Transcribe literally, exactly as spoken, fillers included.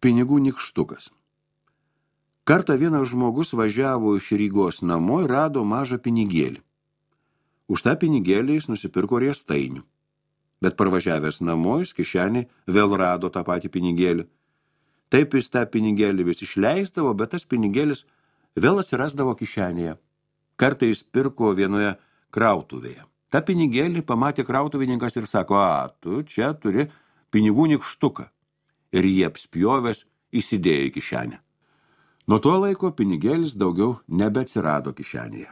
Pinigų nykštukas. Kartą vienas žmogus važiavo iš Rygos namo ir rado mažą pinigėlį. Už tą pinigėlį jis nusipirko riestainių. Bet parvažiavęs namo jis kišenį vėl rado tą patį pinigėlį. Taip jis tą pinigėlį vis išleisdavo, bet tas pinigėlis vėl atsirasdavo kišenėje. Kartą jis pirko vienoje krautuvėje. Ta pinigėlį pamatė krautuvininkas ir sako, a, tu čia turi pinigų nykštuką. Ir jį apspjovęs įsidėjo į kišenę. Nuo to laiko pinigėlis daugiau nebeatsirado kišenėje.